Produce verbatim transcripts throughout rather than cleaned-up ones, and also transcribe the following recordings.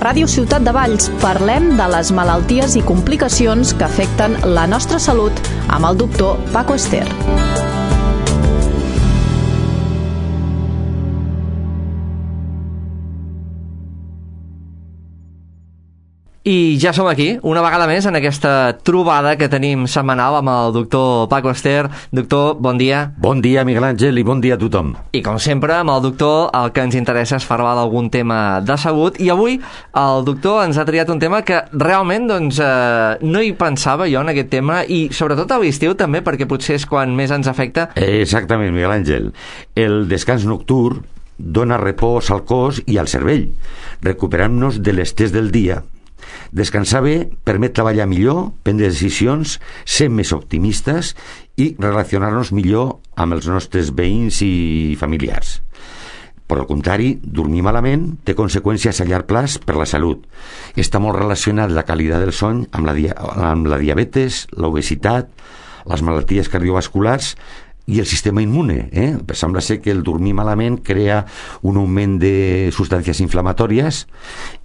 Ràdio Ciutat de Valls parlem de les malalties i complicacions que afecten la nostra salut amb el doctor Paco Ester. I ja som aquí, una vegada més, en aquesta trobada que tenim setmanal amb el doctor Paco Ester. Doctor, bon dia. Bon dia, Miguel Àngel, i bon dia a tothom. I com sempre, amb el doctor el que ens interessa és parlar d'algun tema de salut, i avui el doctor ens ha triat un tema que realment doncs, eh, no hi pensava jo en aquest tema, i sobretot a l'estiu també, perquè potser és quan més ens afecta. Exactament, Miguel Àngel. El descans nocturn dona repòs al cos i al cervell, recuperant-nos de l'estrès del dia. Descansar bé permet treballar millor, prendre decisions, ser més optimistes i relacionar-nos millor amb els nostres veïns i familiars. Per al contrari, dormir malament té conseqüències a llarg plaç per la salut. Està molt relacionat la qualitat del son amb la, dia- amb la diabetes, l'obesitat, les malalties cardiovasculars i el sistema immune. Eh? Sembla ser que el dormir malament crea un augment de substàncies inflamatòries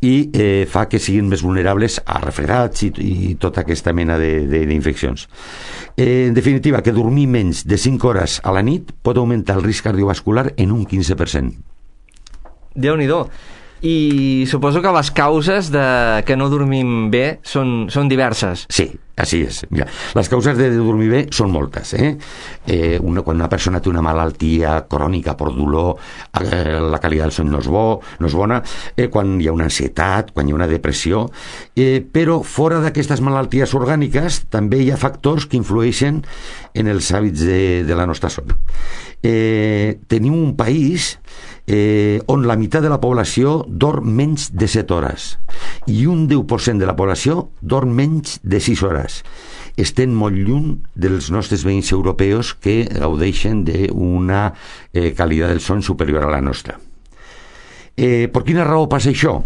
i eh, fa que siguin més vulnerables a refredats i, i tota aquesta mena de, de, d'infeccions. Eh, en definitiva, que dormir menys de cinc hores a la nit pot augmentar el risc cardiovascular en un quinze per cent. Déu-n'hi-do. I suposo que les causes de que no dormim bé són, són diverses. Sí, així és. Mira, les causes de dormir bé són moltes. Eh? Eh, una, quan una persona té una malaltia crònica per dolor, eh, la qualitat del son no és, bo, no és bona, eh, quan hi ha una ansietat, quan hi ha una depressió, eh, però fora d'aquestes malalties orgàniques també hi ha factors que influeixen en els hàbits de, de la nostra son. Eh, tenim un país eh, on la meitat de la població dorm menys de set hores i un deu per cent de la població dorm menys de sis hores. Estem molt lluny dels nostres veïns europeus que gaudeixen d'una eh, qualitat del son superior a la nostra. Eh, per quina raó passa això?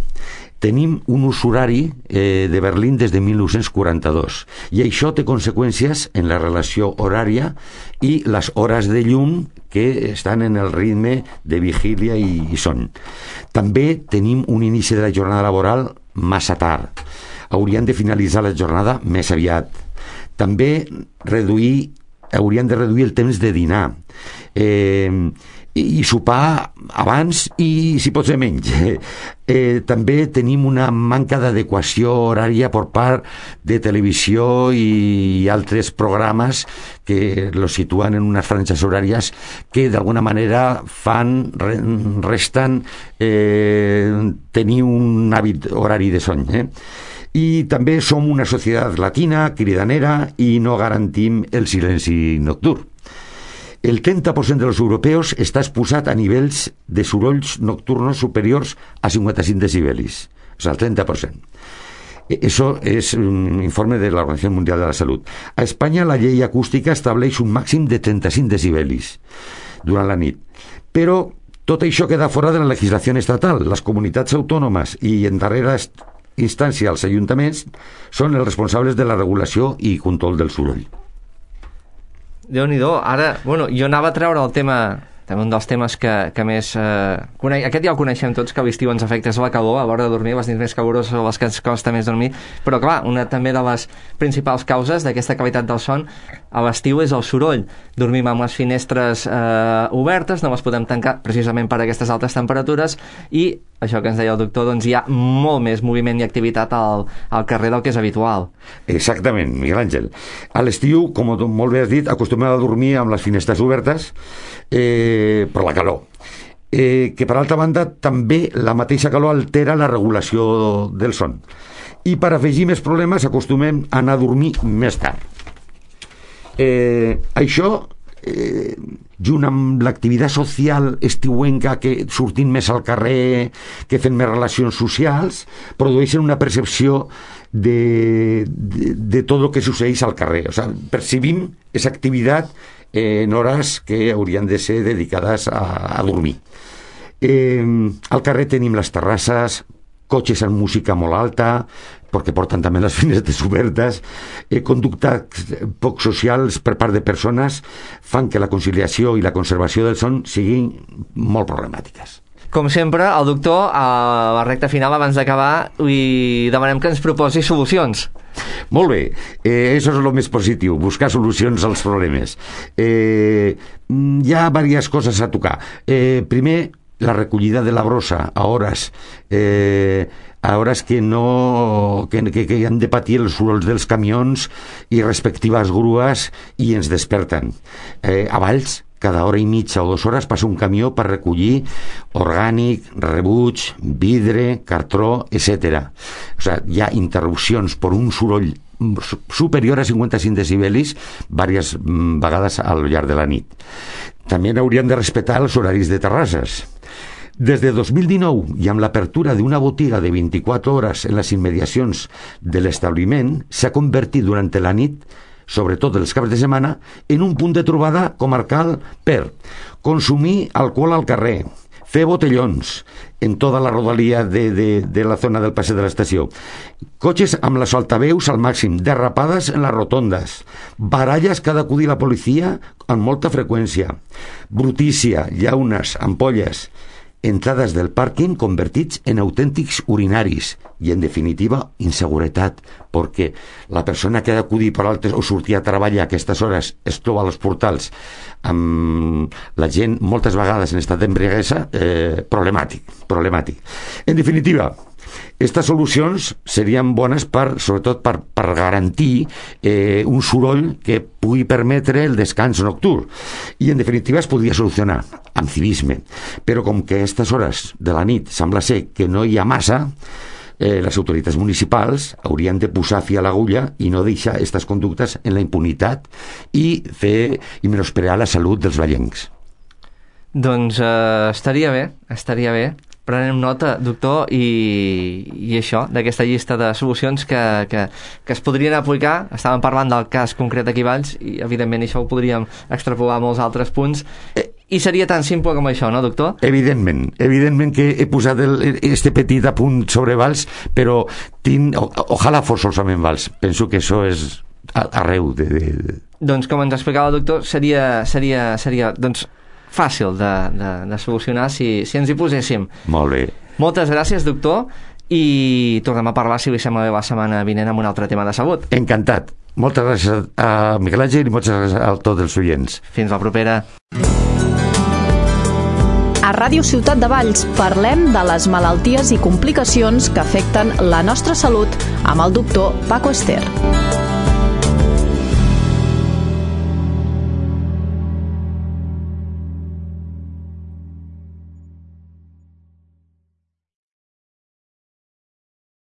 Tenim un ús horari eh, de Berlín des de mil nou-cents quaranta-dos i això té conseqüències en la relació horària i les hores de llum que estan en el ritme de vigília i, i son. També tenim un inici de la jornada laboral massa tard. Hauríem de finalitzar la jornada més aviat. També reduir, hauríem de reduir el temps de dinar. Eh, i sopar abans i si pot ser menys. Eh, també tenim una manca d'adequació horària per part de televisió i altres programes que los situen en unes franges horàries que d'alguna manera fan, resten eh, tenir un hàbit horari de son. Eh? I també som una societat latina, cridanera, i no garantim el silenci nocturn. El trenta per cent dels europeus està exposat a nivells de sorolls nocturnos superiors a cinquanta-cinc decibelis. O sigui, el trenta per cent. Eso es un informe de la Organización Mundial de la Salud. A Espanya la llei acústica estableix un màxim de trenta-cinc decibelis durant la nit. Però tot això queda fora de la legislació estatal. Les comunitats autònomes i en darrera instància els ajuntaments són els responsables de la regulació i control del soroll. Déu-n'hi-do. Ara, bueno, jo anava a treure el tema, també un dels temes que, que més... Eh, cone... Aquest ja el coneixem tots, que a l'estiu ens afecta és la calor, a l'hora de dormir, les nits més caloroses o les que ens costa més dormir, però clar, una també de les principals causes d'aquesta qualitat del son a l'estiu és el soroll. Dormim amb les finestres eh, obertes, no les podem tancar precisament per aquestes altes temperatures, i això que ens deia el doctor, doncs hi ha molt més moviment i activitat al, al carrer del que és habitual. Exactament, Miguel Àngel. A l'estiu, com molt bé has dit, acostumem a dormir amb les finestres obertes eh, per la calor. Eh, que per altra banda també la mateixa calor altera la regulació del son. I per afegir més problemes acostumem a anar a dormir més tard. Eh, això Eh, junt amb l'activitat social estiuenca, que sortint més al carrer, que fent més relacions socials, produeixen una percepció de, de, de tot el que succeeix al carrer. O sigui, percibim aquesta activitat eh, en hores que haurien de ser dedicades a, a dormir. Eh, al carrer tenim les terrasses, cotxes amb música molt alta, perquè porten també les finestres obertes, eh, conductes poc socials per part de persones fan que la conciliació i la conservació del son siguin molt problemàtiques. Com sempre, el doctor, a la recta final, abans d'acabar, li demanem que ens proposi solucions. Molt bé, eh, això és el més positiu, buscar solucions als problemes. Eh, hi ha diverses coses a tocar. Eh, primer, la recollida de la brossa a hores eh, a hores que no que, que, que han de patir els sorolls dels camions i respectives grues i ens desperten. Eh, a Valls, cada hora i mitja o dues hores passa un camió per recollir orgànic, rebuig, vidre, cartró, etcètera. O sigui, hi ha interrupcions per un soroll superior a cinquanta-cinc decibelis diverses vegades al llarg de la nit. També haurien de respectar els horaris de terrasses. Des de dos mil dinou, i amb l'apertura d'una botiga de vint-i-quatre hores en les immediacions de l'establiment, s'ha convertit durant la nit, sobretot els caps de setmana, en un punt de trobada comarcal per consumir alcohol al carrer, fer botellons en tota la rodalia de, de, de la zona del passeig de l'estació, cotxes amb les altaveus al màxim, derrapades en les rotondes, baralles que ha d'acudir la policia amb molta freqüència, brutícia, llaunes, ampolles, entrades del pàrquing convertits en autèntics urinaris i, en definitiva, inseguretat, perquè la persona que ha d'acudir per altres o sortir a treballar a aquestes hores es troba als portals amb la gent moltes vegades en estat d'embriaguesa, eh, problemàtic, problemàtic. En definitiva, aquestes solucions serien bones per, sobretot per, per garantir eh, un soroll que pugui permetre el descans nocturn i en definitiva es podria solucionar amb civisme, però com que a aquestes hores de la nit sembla ser que no hi ha massa, eh, les autoritats municipals haurien de posar fi a l'agulla i no deixar aquestes conductes en la impunitat i fer i menysprear la salut dels vallencs. Doncs eh, estaria bé, estaria bé. Prenem nota, doctor, i, i això, d'aquesta llista de solucions que, que, que es podrien aplicar. Estàvem parlant del cas concret aquí a Valls i, evidentment, això ho podríem extrapolar a molts altres punts. I seria tan simple com això, no, doctor? Evidentment, evidentment que he posat el, este petit apunt sobre Valls, però tinc, o, ojalà fos solament Valls. Penso que això és arreu de... de... Doncs, com ens explicava el doctor, seria, seria, seria doncs, fàcil de, de, de solucionar si, si ens hi poséssim. Molt bé. Moltes gràcies, doctor, i tornem a parlar, si li sembla bé, la setmana vinent amb un altre tema de salut. Encantat. Moltes gràcies a Miquel Àngel i moltes gràcies a tots els oients. Fins la propera. A Ràdio Ciutat de Valls parlem de les malalties i complicacions que afecten la nostra salut amb el doctor Paco Ester.